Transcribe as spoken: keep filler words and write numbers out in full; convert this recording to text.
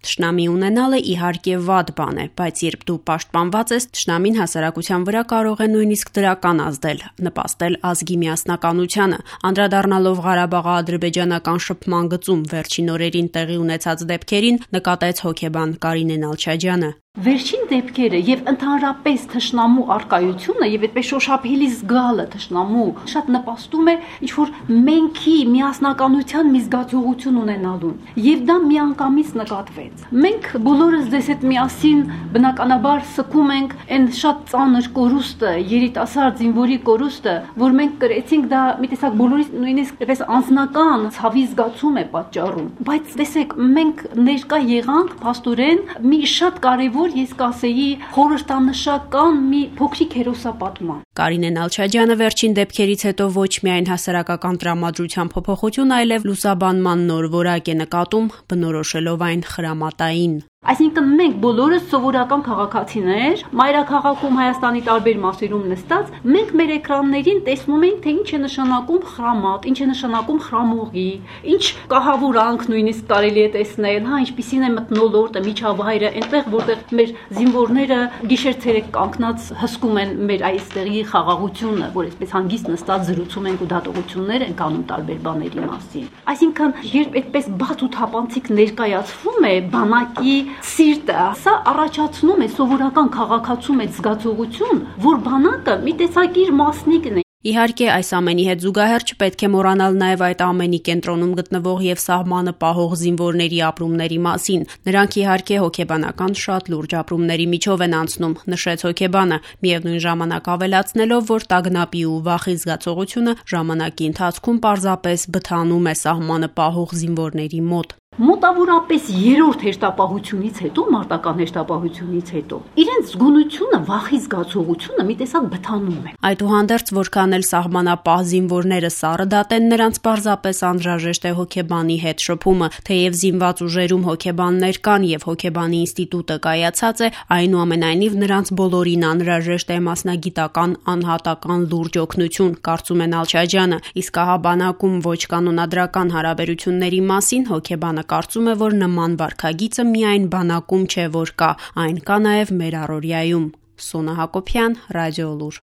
Թշնամի ունենալը իհարկե վատ բան է, բայց երբ դու պաշտպանված ես, թշնամին հասարակության վրա կարող է նույնիսկ դրական ազդել, նպաստել ազգի միասնականությանը։ Անդրադառնալով Ղարաբաղի-ադրբեջանական շփման գծում վերջին օրերին տեղի ունեցած դեպքերին, նկատեց հոգեբան Կարինե Նալչաջյանը. Վերջին դեպքերը եւ ընդհանրապես թշնամու արկայությունը եւ այդպես շոշափելի զգալը թշնամու շատ նպաստում է ինչ-որ մենքի միասնականության մի զգացողություն ունենալուն եւ դա միանգամից նկատվեց։ Մենք բոլորս դες այդ միասին բնականաբար սկում ենք այն շատ ծանր կորուստը, երիտասարդ զինվորի կորուստը, որ մենք կրեցինք, դա մի տեսակ բոլորիս նույնիսկ այդպես անձնական ցավի զգացում է պատճառում։ Բայց տեսեք, մենք ներկա եղանք փաստորեն մի շատ կարեւոր ես կասեի խորհրդանշական մի փոքրիկ հերոսապատման։ Կարինե Նալչաջյանը վերջին դեպքերից հետո ոչ միայն հասարակական տրամադրության փոփոխություն, այլև լուսաբանման նոր որակ է նկատում, բնորոշելով այն խրամատային։ Այսինքն մենք բոլորս սովորական քաղաքացիներ, մայրաքաղաքում Հայաստանի տարբեր մասերում նստած, մենք մեր էկրաններին տեսնում ենք, թե ինչ է նշանակում խրամատ, ինչ է նշանակում խրամուղի, ինչ կահավորանք նույնիսկ կարելի է տեսնել, հա, ինչպիսին է մթնոլորտը, միջավայրը, այնտեղ որտեղ մեր զինվորները գիշեր-ցերեկ կանգնած հսկում են մեր այստեղի խաղաղությունը, որ այսպես հանգիստ նստած զրուցում ենք ու դատողություններ ենք անում տարբեր բաների մասին։ Այսինքն, երբ այդպես բաց ու թափանցիկ ներկայացվում է բանակի սիրտը, սա առաջացնում է սովորական քաղաքացու մեջ զգացողություն, որ բանակը մի տեսակ իր մասնիկն է։ Իհարկե, այս ամենի հետ զուգահեռ չպետք է մոռանալ նաև այդ ամենի կենտրոնում գտնվող եւ սահմանը պահող զինվորների ապրումների մասին։ Նրանք իհարկե հոգեբանական շատ լուրջ ապրումների միջով են անցնում, նշեց հոգեբանը, միևնույն ժամանակ ավելացնելով, որ տագնապի ու վախի զգացողությունը ժամանակի ընթացքում պարզապես բթանում է սահմանը պահող զինվորների մոտ։ Մոտավորապես երրորդ հերթապահությունից հետո, մարտական հերթապահությունից հետո, իրենց զգոնությունը, վախի զգացողությունը մի տեսակ բթանում է։ Այդուհանդերձ, որքան էլ սահմանապահ զինվորները սառը դատեն, նրանց պարզապես անհրաժեշտ է հոգեբանի հետ շփումը, թեև զինված ուժերում հոգեբաններ կան եւ հոգեբանի ինստիտուտը կայացած է, այնուամենայնիվ նրանց բոլորին անհրաժեշտ է մասնագիտական անհատական լուրջ օգնություն, կարծում է Նալչաջյանը, իսկ ահա բանակում ոչ կանոնադրական հարաբերությունների մասին հոգեբանը կարծում է, որ նման վարքագիծը միայն բանակում չէ, որ կա, այն կա նաև մեր առօրյայում։ Սոնա Հակոբյան, Ռադիոլուր։